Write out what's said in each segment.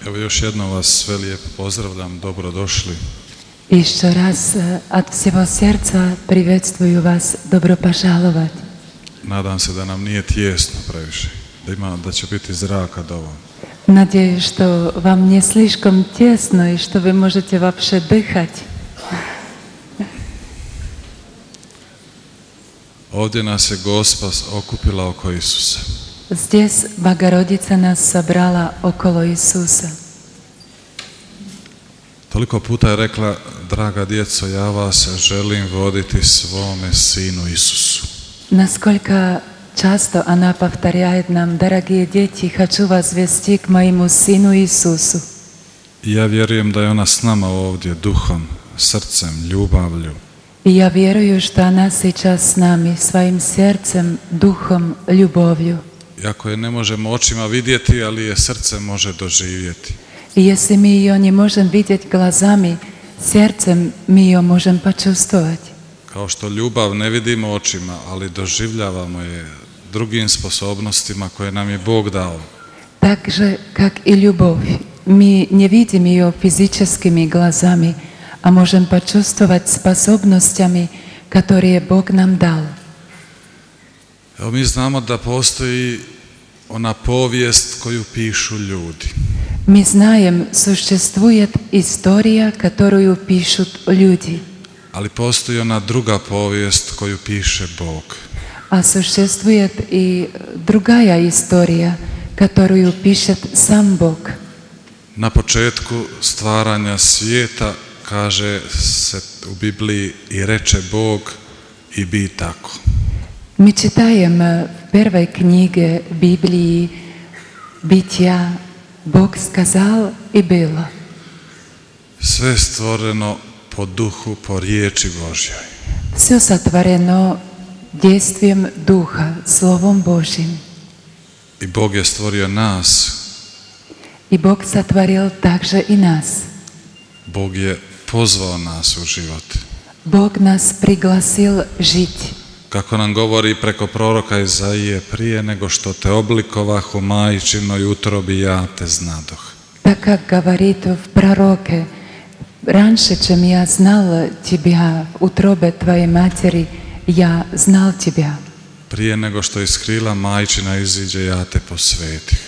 Evo još jednom vas sve lijepo pozdravljam, dobrodošli. Еще раз от всего сердца приветствую вас, добро пожаловать. Nadam se da nam nije tijesno previše, da će biti zraka dovoljno. Надеюсь, что вам не слишком тесно и что вы можете вообще дыхать. Ovdje nas je Gospa okupila oko Isusa. Здесь Богородица нас собрала около Иисуса. Toliko puta je rekla, draga djeco, ja vas želim voditi svome Sinu Isusu. Насколько часто она повторяет нам: дорогие дети, хочу вас вести к моему Сину Иисусу. I ja vjerujem da je ona s nama ovdje duhom, srcem, ljubavlju. И я верую, что она сейчас с нами, своим сердцем, духом, любовью. Iako je ne možemo očima vidjeti, ali je srce može doživjeti. И если мы ее не можем видеть глазами, сердцем мы ее можем почувствовать. Kao što ljubav ne vidimo očima, ali doživljavamo je drugim sposobnostima koje nam je Bog dao. Так же, как и любовь, мы не видим ее физическими глазами, а можем почувствовать способностями, которые Бог нам дал. Evo mi znamo da postoji ona povijest koju pišu ljudi. Мы знаем, существует история, которую пишут люди. Ali postoji ona druga povijest koju piše Bog. А существует и другая история, которую пишет сам Бог. Na početku stvaranja svijeta kaže se u Bibliji i reče Bog i bi tako. Мы читаем в первой книге Библии «Бытия», Бог сказал и было. Sve je stvoreno po duhu, po riječi Božjoj. Все сотворено действием Духа, Словом Божьим. I Bog je stvorio nas. И Бог сотворил также и нас. Bog je pozvao nas u život. Бог нас пригласил жить. Kako nam govori preko proroka Izaije, prije nego što te oblikovah u majčinoj utrobi, ja te znadoh. Так как говорит в пророке: «Раньше, чем я знал тебя в утробе твоей матери, я знал тебя». Prije nego što iz krila majčina iziđe, ja te posvetih.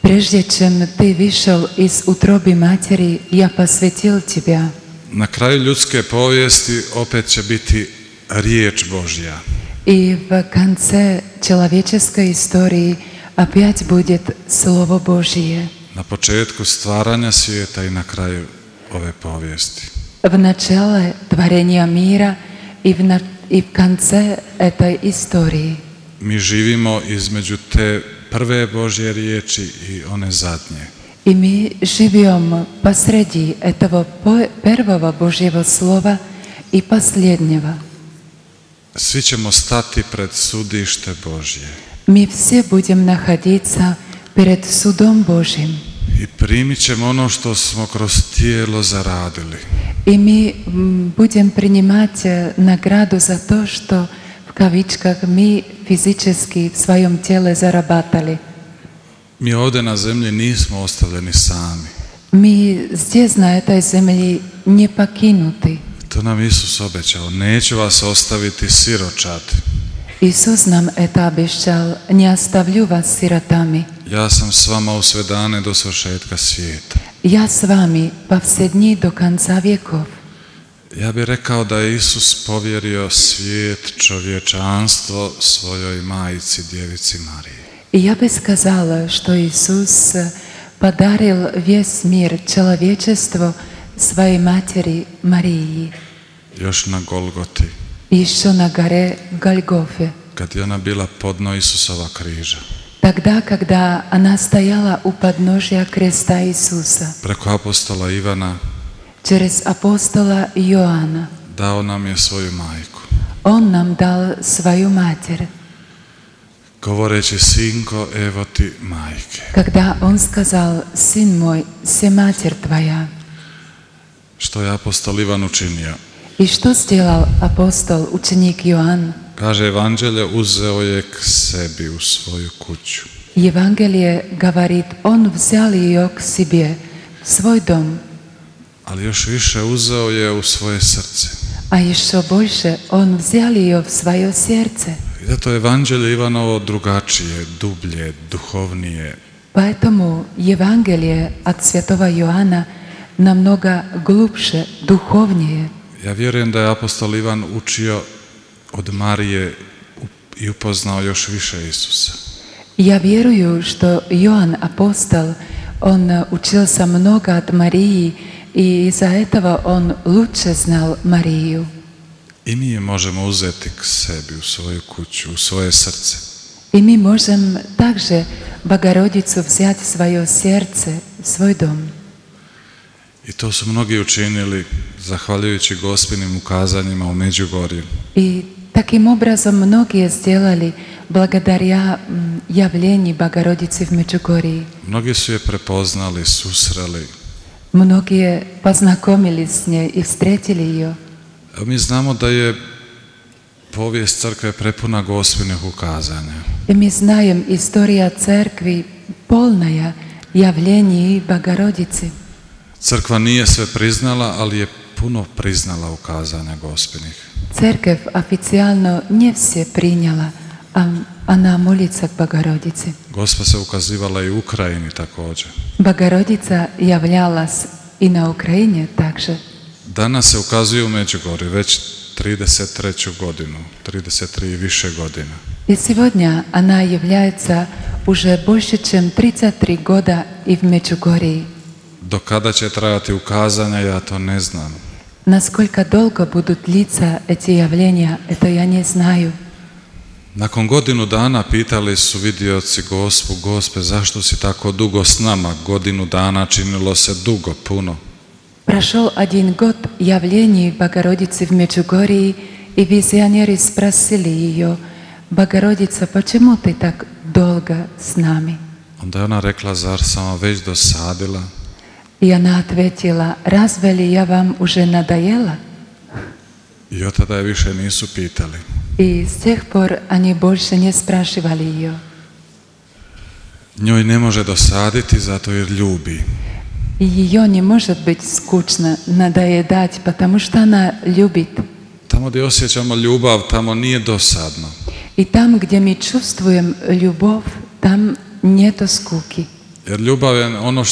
Прежде чем ты вышел из утробы матери, я посвятил тебя. Na kraju ljudske povijesti opet će biti riječ Božja. И в конце человеческой истории опять будет Слово Божие. Na početku stvaranja svijeta i na kraju ove povijesti. В начале творения мира и в конце этой истории. Mi živimo između te prve Božje riječi i one zadnje. И мы живем посреди этого первого Божьего Слова и последнего. Svi ćemo stati pred sudište Božje. Мы все будем находиться перед судом Божьим. I primit ćemo ono što smo kroz tijelo zaradili. И мы будем принимать награду за то, что в кавичках мы физически в своем теле зарабатывали. Mi ovdje na zemlji nismo ostavljeni sami. Мы здесь, на этой земле, не покинуты. To nam Isus obećao. Neću vas ostaviti siročad. Иисус нам это обещал: «Не оставлю вас сиротами». Ja sam s vama u sve dane do svršetka svijeta. Я с вами по все дни до конца веков. Ja bih rekao da je Isus povjerio svijet, čovječanstvo svojoj majci, djevici Mariji. И я бы сказала, что Иисус подарил весь мир, человечеству, своей матери Марии. Još na Golgoti. Еще на горе Гольгофе. Kad je ona bila podno Isusova križa. Тогда, когда она стояла у подножия креста Иисуса. Preko apostola Ivana. Через апостола Иоанна. Dao nam je svoju majku. Он нам дал свою матерь. Govoreći: sinko, evo ti majke. Когда он сказал: «Сын мой, се матерь твоя». Što je apostol Ivan učinio? И что сделал апостол, ученик Иоанн? Kaže Evanđelje, uzeo je k sebi u svoju kuću. Евангелие говорит: он взял ее к себе svoj dom, ali još više uzeo je u svoje srce. a еще больше Он взял ее в свое сердце. I zato je Evanđelje Ivanovo drugačije, dublje, duhovnije. Поэтому Евангелие от святого Иоанна намного глубже, духовнее. Ja vjerujem da je apostol Ivan učio od Marije i upoznao još više Isusa. Я верую, что Иоанн апостол, он учился много от Марии, и из-за этого он лучше знал Марию. I mi je možemo uzeti k sebi, u svoju kuću, u svoje srce. И мы можем также Богородицу взять в свое сердце, в свой дом. I to su mnogi učinili zahvaljujući Gospinim ukazanjima u Međugorju. И таким образом многие сделали благодаря явлению Богородицы в Меджугорье. Mnogi su je prepoznali, susreli. Многие познакомились с ней и встретили ее. Mi znamo da je povijest crkve prepuna Gospinih ukazanja. И мы знаем, история церкви полная явлений Богородицы. Crkva nije sve priznala, ali je puno priznala ukazanja Gospinih. Церковь официально не все приняла, а она молится к Богородице. Gospa se ukazivala i u Ukrajini također. Богородица являлась и на Украине также. Danas se ukazuje u Međugorju već 33. godinu, 33 i više godina. И сегодня она является уже больше, чем 33 года и в Меджугорье. Do kada će trajati ukazanja, ja to ne znam. Насколько долго будут длиться эти явления, это я не знаю. Nakon godinu dana pitali su vidioci Gospe, zašto si tako dugo s nama? Godinu dana činilo se dugo, puno. Прошел 1 год явлений Богородицы в Меджугорье, и визионеры спросили ее: Богородица, почему ты так долго с нами? Onda je ona rekla, zar sam vam već dosadila? И она ответила: разве ли я вам уже надоела? I od tada je više nisu pitali. И с тех пор они больше не спрашивали ее. Njoj ne može dosaditi zato jer ljubi. И ее не может быть скучно, надоедать, потому что она любит. Tamo gdje osjećamo ljubav, tamo nije dosadno. И там, где мы чувствуем любовь, там нету скуки. Jer ljubav je ono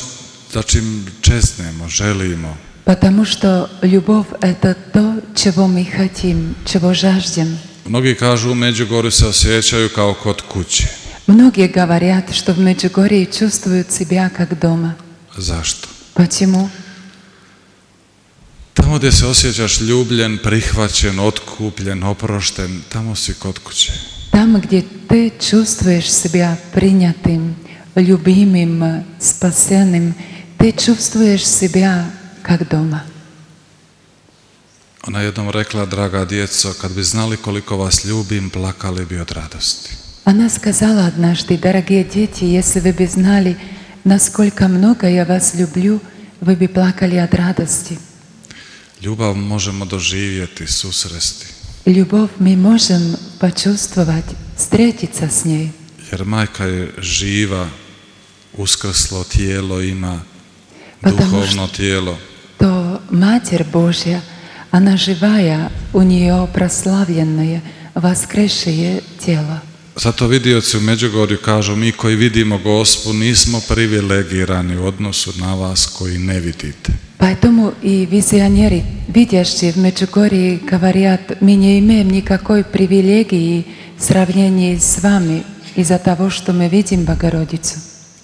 za čim čeznemo, želimo. Потому что любовь – это то, чего мы хотим, чего жаждем. Mnogi kažu u Međugorju se osjećaju kao kod kuće. Многие говорят, что в Меджугорье чувствуют себя как дома. Zašto? Почему? Tamo gdje se osjećaš ljubljen, prihvaćen, otkupljen, oprošten, tamo si kod kuće. Там, где ты чувствуешь себя принятым, любимым, спасенным, ты чувствуешь себя как дома. Ona je jednom rekla, draga djeco, kad bi znali koliko vas ljubim, plakali bi od radosti. Она сказала однажды: дорогие дети, если вы бы знали, насколько много я вас люблю, вы бы плакали от радости. Ljubav možemo doživjeti, susresti. Любовь мы можем почувствовать, встретиться с ней. Jer majka je živa, uskrslo tijelo ima, Потому duhovno tijelo. что Матерь Божья, она живая, у нее прославленное, воскресшее тело. Zato vidioci u Međugorju kažu, mi koji vidimo Gospu nismo privilegirani u odnosu na vas koji ne vidite. Поэтому и визионеры, видящие в Меджугорье, говорят: мы не имеем никакой привилегии в сравнении с вами из-за того, что мы видим Богородицу.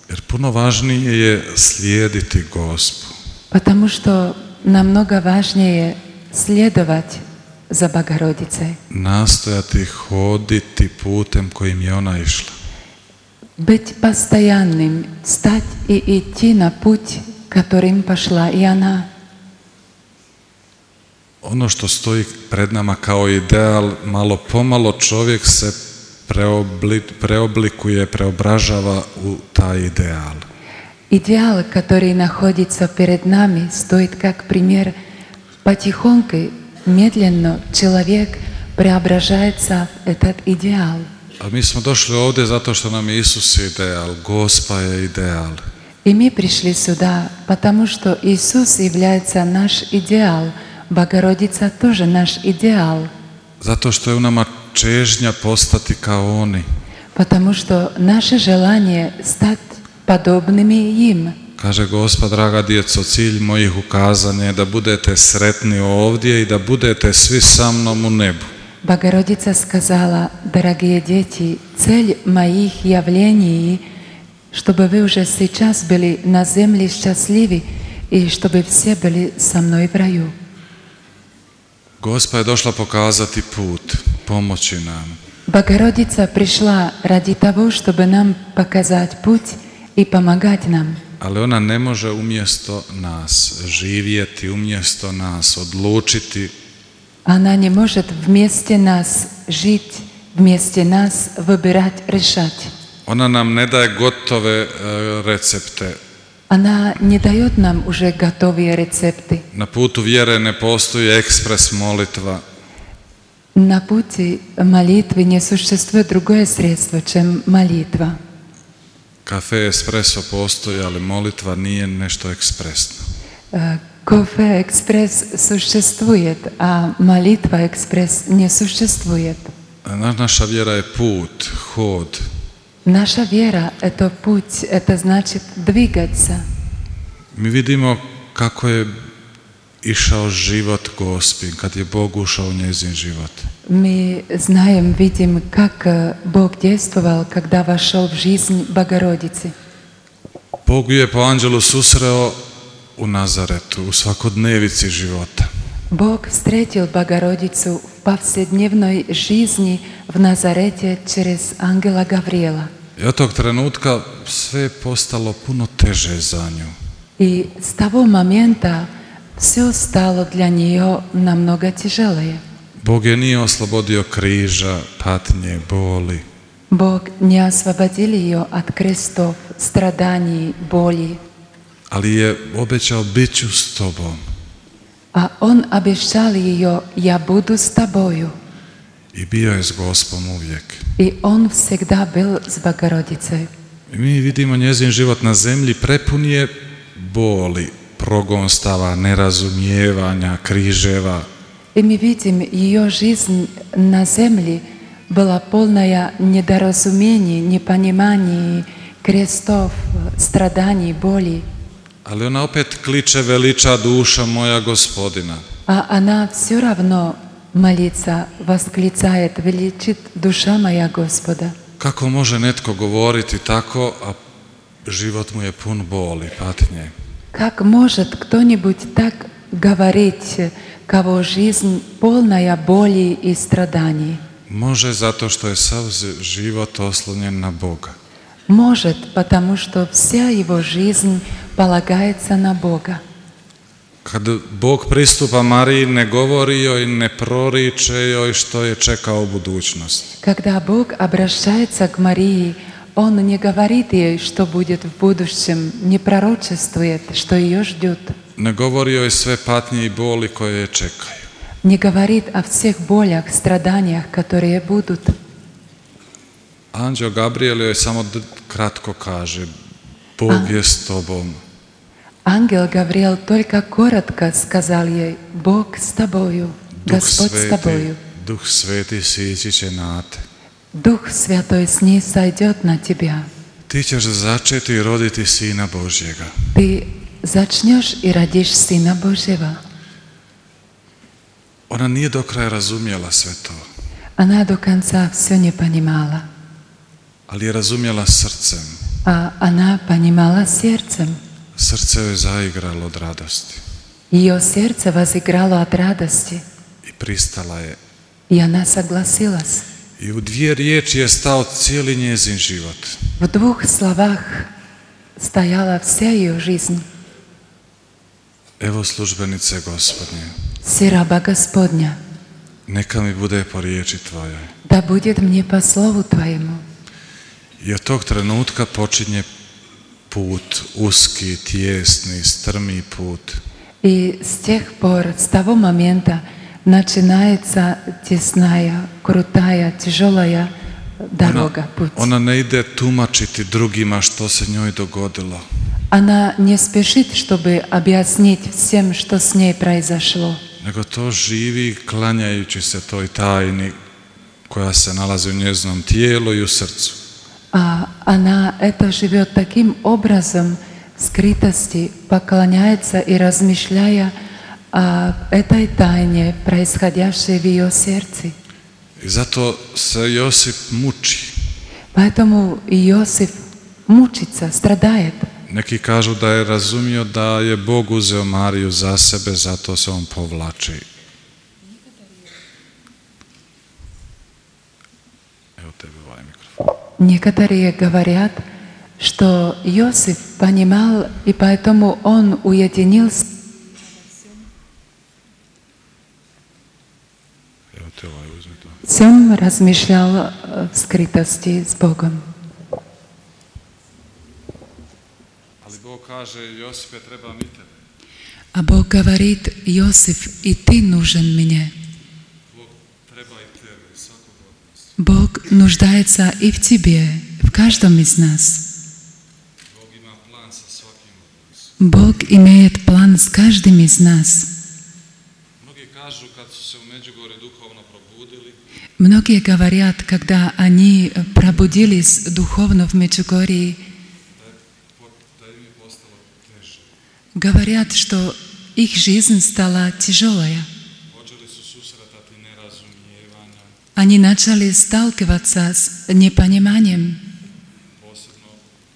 Jer puno važnije je slijediti Gospu. Потому что намного важнее следовать за Богородицей. Nastojati hoditi putem kojim je ona išla. Быть постоянным, встать и идти на путь, которым пошла и она. Ono što stoji pred nama kao ideal, malo pomalo čovjek se preoblikuje, preobražava u taj ideal. Идеал, который находится перед нами, стоит как пример. Потихоньку, медленно человек преображается в этот идеал. A mi smo došli ovdje zato što nam je Isus ideal, Gospa je ideal. И мы пришли сюда, потому что Иисус является наш идеал, Богородица тоже наш идеал, zato što je u nama čežnja postati kao oni. потому что наше желание стать подобными им. Kaže Gospa, draga djeco, cilj mojih ukazanja je da budete sretni ovdje i da budete svi sa mnom u nebu. Богородица сказала: дорогие дети, цель моих явлений, чтобы вы уже сейчас были на земле счастливы и чтобы все были со мной в раю. Gospa je došla pokazati put, pomoći nam. Богородица пришла ради того, чтобы нам показать путь и помогать нам. Ali ona ne može umjesto nas živjeti, umjesto nas odlučiti. Она не может вместе нас жить, вместе нас выбирать, решать. Ona nam ne daje gotove recepte. Она не дает нам уже готовые рецепты. Na putu vjere ne postoji ekspres molitva. На пути молитвы не существует другое средство, чем молитва. Kafe espresso postoji, ali molitva nije nešto ekspresno. Кофе экспресс существует, а молитва экспресс не существует. Naša vjera je put, hod. Наша вера – это путь, это значит двигаться. Mi vidimo kako je išao život Gospin, kad je Bog ušao u njezin život. Мы знаем, видим, как Бог действовал, когда вошел в жизнь Богородицы. Bog ju je po anđelu susreo u Nazaretu, u svakodnevici života. Бог встретил Богородицу в повседневной жизни в Назарете через ангела Гавриила. I od tog trenutka sve je postalo puno teže za nju. И с того момента все стало для нее намного тяжелее. Bog je nije oslobodio križa, patnje, boli. Бог не освободил ее от крестов, страданий, боли, Ali je obećao, bit ću s tobom. а Он обещал ее: «Я буду с тобою». I bio je s Gospom uvijek. И Он всегда был с Богородицей. I mi vidimo njezin život na zemlji prepun je boli, progonstava, nerazumijevanja, križeva. И мы видим, ее жизнь на земле была полная недоразумений, непониманий, крестов, страданий, боли. Ali ona opet kliče, veliča duša moja Gospodina. А она все равно молится, восклицает: «Величит душа моя Господа». Kako može netko govoriti tako, a život mu je pun boli, patnje? Как может кто-нибудь так говорить, кого жизнь полная боли и страданий? Može zato što je sav život oslonjen na Boga. Может, потому что вся его жизнь полагается на Бога. Kad Bog pristupa Mariji, ne govori joj, ne proriče joj što je čekao u budućnosti. Когда Бог обращается к Марии, Он не говорит ей, что будет в будущем, не пророчествует, что ее ждет. Ne govori joj sve patnje i boli koje je čekaju. Не говорит о всех болях, страданиях, которые будут. Anđeo Gabriel joj samo kratko kaže, Bog je s tobom. Ангел Гавриил только коротко сказал ей: «Бог с тобою, Господь с тобою». Duh Sveti sići će na te. Дух Святой с ней сойдет на тебя. Ti ćeš začeti i roditi Sina Božjega. Ты зачнешь и родишь Сына Божьего. Ona nije do kraja razumjela sve to, Она до конца все не понимала, ali je razumjela srcem. а она понимала сердцем. Srce joj zaigralo od radosti Ее сердце возыграло от радости, i pristala je. и она согласилась. I u dvije riječi je stao cijeli njezin život. В двух словах стояла вся ее жизнь. Evo službenice Gospodnje, «Раба Господня, neka mi bude po riječi Tvojoj. да будет мне по слову Твоему». I od tog trenutka počinje put, uski, tijesni, strmi put. И с тех пор, с того момента, начинается тесная, крутая, тяжелая дорога, путь. Ona ne ide tumačiti drugima što se njoj dogodilo. Она не спешит, чтобы объяснить всем, что с ней произошло. Nego to živi klanjajući se toj tajni koja se nalazi u njezinom tijelu i u srcu. А она это живет таким образом скрытости, поклоняется и размышляя о этой тайне, происходящей в ее сердце. I zato se Josip muči. Поэтому Иосиф мучится, страдает. Neki kažu da je razumio da je Bog uzeo Mariju za sebe, zato se on povlači. Evo tebi ovaj mikrofon. Некоторые говорят, что Иосиф понимал, и поэтому он уединился. Evo te ovaj, uzmi to. Всем размышлял в скрытости с Богом. Ali Bog kaže, Josipe, treba mi tebe. А Бог говорит: Иосиф, и ты нужен мне. Bog treba i tebe, i svakog od nas. Бог нуждается и в тебе, в каждом из нас. Bog ima plan sa svakim od nas. Бог имеет план с каждым из нас. Mnogi kažu kad su se u Međugorju duhovno probudili, Многие говорят, когда они пробудились духовно в Меджугорье, da im je postalo teže. говорят, что их жизнь стала тяжелая. Počeli su susretati nerazumijevanja, Они начали сталкиваться с непониманием, posebno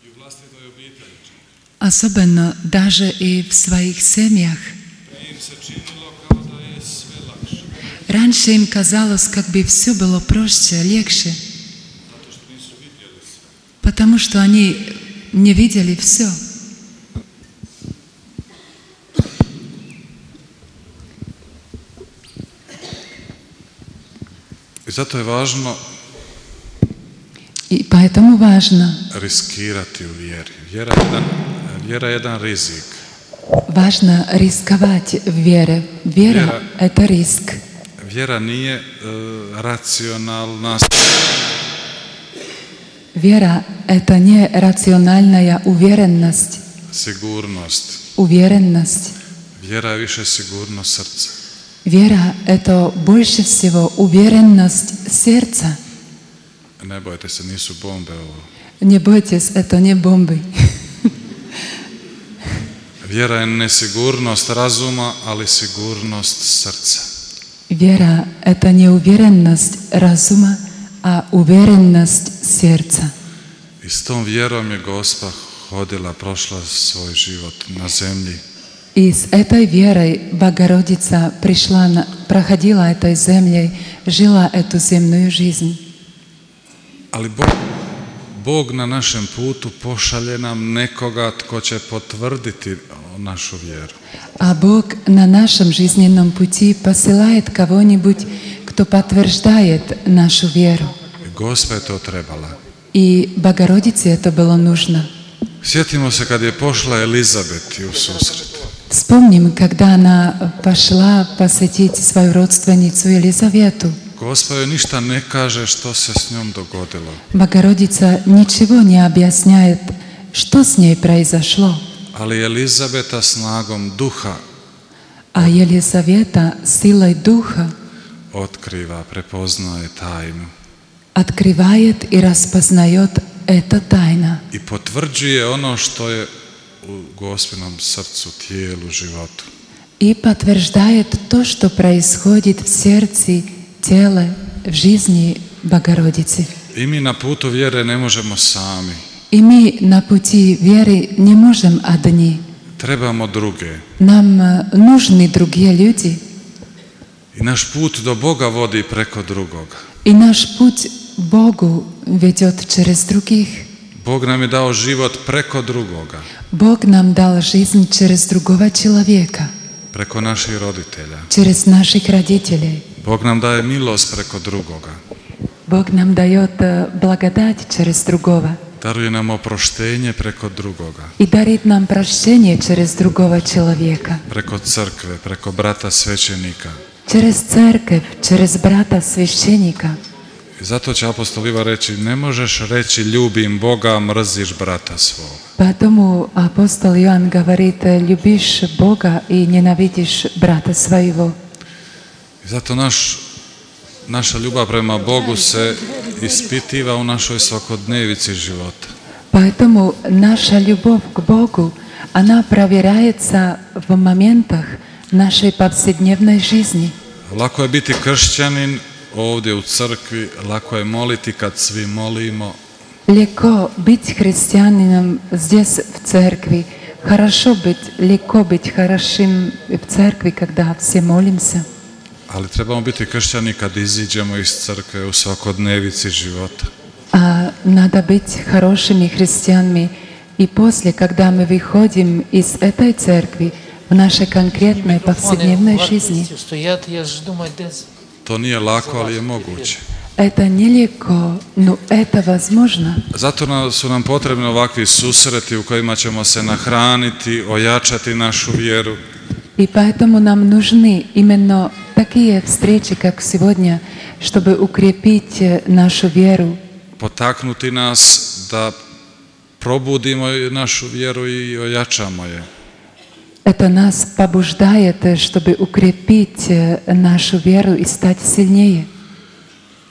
i u vlastitoj obitelji. особенно даже и в своих семьях. Prije im se činilo kao da je sve lakše, Раньше им казалось, как бы все было проще, легче, zato što nisu vidjeli sve. потому что они не видели все. I zato je važno И поэтому важно, riskirati u vjeri. Vjera je jedan rizik. важно рисковать в вере. Вера – это риск. Vjera nije racionalna, Вера – это не рациональная уверенность. sigurnost. Уверенность. Vjera je više sigurnost srca. Вера – это больше всего уверенность сердца. Ne bojte se, nisu bombe ovo. Не бойтесь, это не бомбы. Vjera je nesigurnost razuma, ali sigurnost srca. Вера – это не уверенность разума, а уверенность сердца. I s tom vjerom je Gospa hodila, prošla svoj život na zemlji. И с этой верой Богородица пришла, проходила этой землей, жила эту земную жизнь. Ali Bog na našem putu pošalje nam nekoga tko će potvrditi našu vjeru. А Бог на нашем жизненном пути посылает кого-нибудь, кто подтверждает нашу веру. I Gospa je to trebala. И Богородице это было нужно. Sjetimo se kad je pošla Elizabeti u susret. Вспомним, когда она пошла посетить свою родственницу Елизавету. Gospa joj ništa ne kaže što se s njom dogodilo. Богородица ничего не объясняет, что с ней произошло. Ali Elizabeta snagom duha А Елизавета силой Духа otkriva, prepoznaje tajnu открывает и распознает это тайна. i potvrđuje ono što je u Gospinom srcu, tijelu, životu. И подтверждает то, что происходит в сердце, теле, в жизни Богородицы. I mi na putu vjere ne možemo sami. И мы на пути веры не можем одни. Trebamo druge. Нам нужны другие люди. I naš put do Boga vodi preko drugoga. И наш путь к Богу ведет через других. Bog nam je dao život preko drugoga, Бог нам дал жизнь через другого человека, preko naših roditelja. через наших родителей. Bog nam daje milost preko drugoga. Бог нам дает благодать через другого Daruje nam oproštenje preko drugoga. и дарит нам прощение через другого человека, Preko crkve, preko brata svećenika. через церковь, через брата священника. I zato će apostol Ivan reći, ne možeš reći ljubim Boga, mrziš brata svoga. Поэтому апостол Иоанн говорит, любишь Бога и ненавидишь брата своего. I zato naša ljubav prema Bogu se ispitiva u našoj svakodnevici života. Поэтому наша любовь к Богу, она проверяется в моментах нашей повседневной жизни. Lako je biti kršćanin ovdje u crkvi, lako je moliti kad svi molimo. Легко быть христианином здесь в церкви. Легко быть хорошим в церкви, когда все молимся. Ali trebamo biti kršćani kad iziđemo iz crkve u svakodnevici života. А надо быть хорошими христианами и после, когда мы выходим из этой церкви в нашей конкретной повседневной жизни. To nije lako, ali je moguće. Это нелегко, но это возможно. Zato su nam potrebni ovakvi susreti u kojima ćemo se nahraniti, ojačati našu vjeru. И поэтому нам нужны именно такие встречи, как сегодня, чтобы укрепить нашу веру. Potaknuti nas da probudimo našu vjeru i ojačamo je. Это нас побуждает, чтобы укрепить нашу веру и стать сильнее.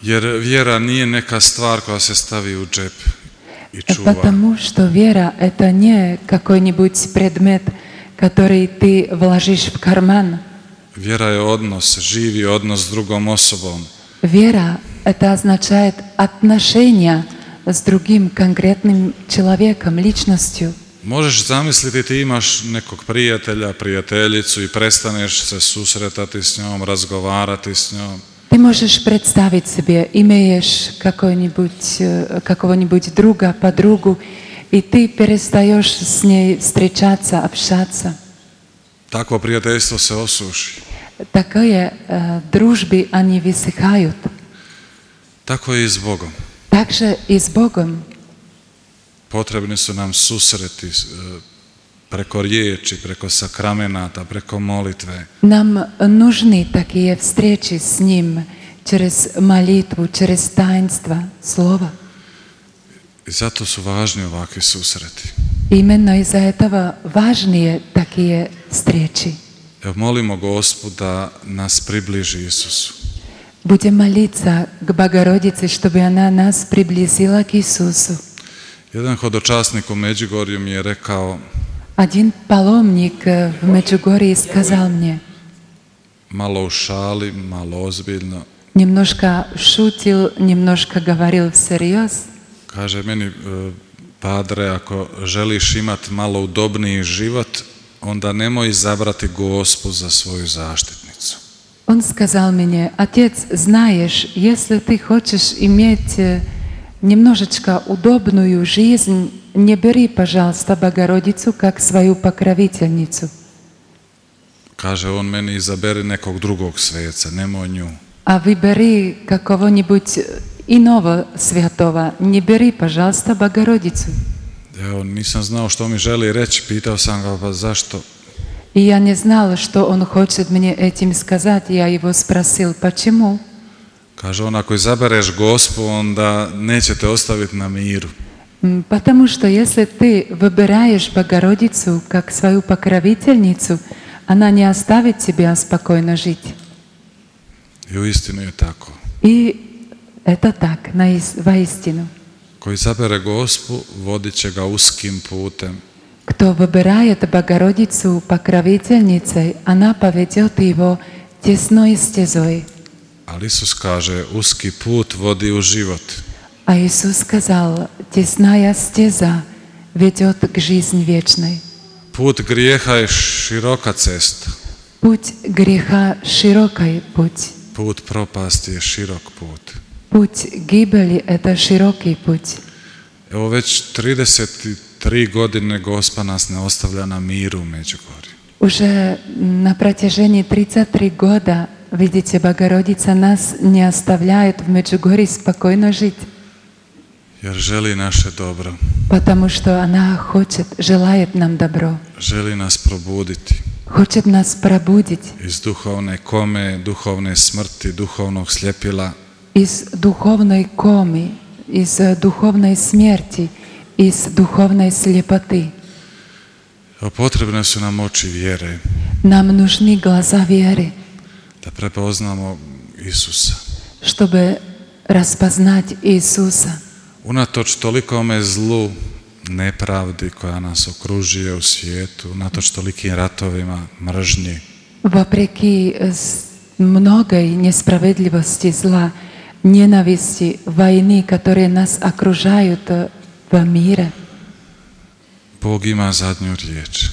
Jer vjera nije neka stvar koja se stavi u džep i čuva. Потому что вера — это не какой-нибудь предмет, который ты вложишь в карман. Vjera je odnos, živi odnos s drugom osobom. Вера — это означает отношения с другим конкретным человеком, личностью. Možeš zamisliti, ti imaš nekog prijatelja, prijateljicu i prestaneš se susretati s njom, razgovarati s njom. Ты можешь представить себе, имеешь какого-нибудь друга, подругу, и ты перестаешь с ней встречаться, общаться. Takvo prijateljstvo se osuši. Такие дружбы, они высыхают. Tako je i s Bogom. Также и с Богом. Potrebni su nam susreti preko riječi, preko sakramenata, preko molitve. Нам нужны такие встречи с Ним через молитву, через таинство, Слово. I zato su važni ovakvi susreti. Именно из-за этого важнее такие встречи. Evo, molimo Gospu da nas približi Isusu. Будем молиться к Богородице, чтобы она нас приблизила к Иисусу. Jedan hodočasnik u Međugorju mi je rekao, Один паломник в Меджугорье сказал мне, malo u šali, malo ozbiljno, немножко шутил, немножко говорил всерьез. kaže meni, padre, ako želiš imati malo udobniji život, onda nemoj izabrati Gospu za svoju zaštitnicu. Он сказал мне, отец, знаешь, если ты хочешь иметь немножечко удобную жизнь, не бери, пожалуйста, Богородицу как свою покровительницу. Kaže on meni, izaberi nekog drugog sveca, nemoj nju. А выбери какого-нибудь иного святого, не бери, пожалуйста, Богородицу. Evo, nisam znao što mi želi reći, pitao sam ga, pa zašto? И я не знала, что он хочет мне этим сказать. Я его спросил, почему? Kaže on, ako izabereš Gospu, onda neće te ostaviti na miru. Потому что если ты выбираешь Богородицу как свою покровительницу, она не оставит тебя спокойно жить. I uistinu je tako. И это так, воистину. Ko izabere Gospu, vodit će ga uskim putem. Кто выбирает Богородицу покровительницей, она поведет его тесной стезой. Ali Isus kaže, uski put vodi u život. А Иисус сказал, тесная стеза ведет к жизни вечной. Put grijeha je široka cesta. Путь греха широкий путь. Put propasti je širok put. Путь гибели — это широкий путь. Evo već 33 godine Gospa nas ne ostavlja na miru u Međugorju. Уже на протяжении 33 года, видите, Богородица нас не оставляет в Меджугорье спокойно жить. Jer želi naše dobro. Потому что она желает нам добро. Želi nas probuditi. Хочет нас пробудить Iz duhovne kome, duhovne smrti, duhovnog sljepila. из духовной комы, из духовной смерти, из духовной слепоты. Potrebne su nam oči vjere Нам нужны глаза веры, da prepoznamo Isusa. чтобы распознать Иисуса. Unatoč tolikome zlu, nepravdi koja nas okružuje u svijetu, unatoč tolikim ratovima, mržnji, Вопреки многой несправедливости, зла, ненависти, войны, которые нас окружают в мире, Bog ima zadnju riječ.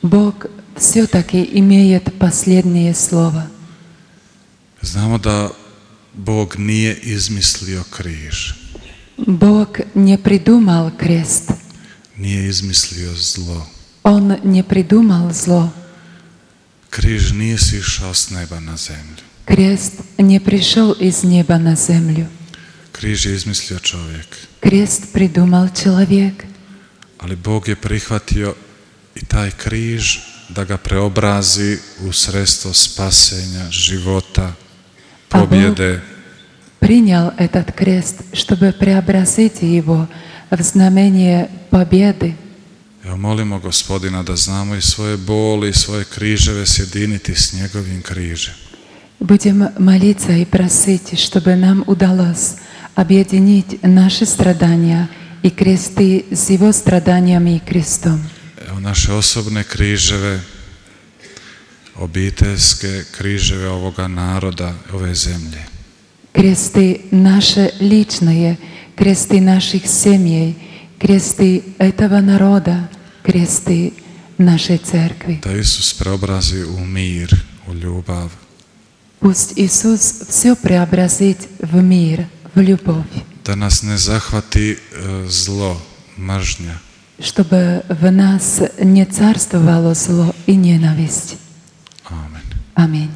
Бог все-таки имеет последнее слово. Znamo da Bog nije izmislio križ, Бог не придумал крест, nije izmislio zlo. Он не придумал зло. Križ nije sišao s neba na zemlju. Крест не пришел из неба на землю. Križ je izmislio čovjek. Крест придумал человек. Ali Bog je prihvatio i taj križ da ga preobrazi u sredstvo spasenja, života, pobjede. Принял этот крест, чтобы преобразить его в знамение победы. Evo molimo Gospodina da znamo i svoje boli i svoje križeve sjediniti s njegovim križem. Будем молиться и просить, чтобы нам удалось объединить наши страдания и кресты с Его страданиями и крестом. Evo naše osobne križeve, obiteljske križeve ovoga naroda, ove zemlje. Кресты наши личные, кресты наших семей, кресты этого народа, кресты нашей церкви. Da Isus preobrazi u mir, u ljubav. Пусть Иисус все преобразит в мир, в любовь, Da nas ne zahvati zlo, mržnja. чтобы в нас не царствовало зло и ненависть. Amen. Аминь.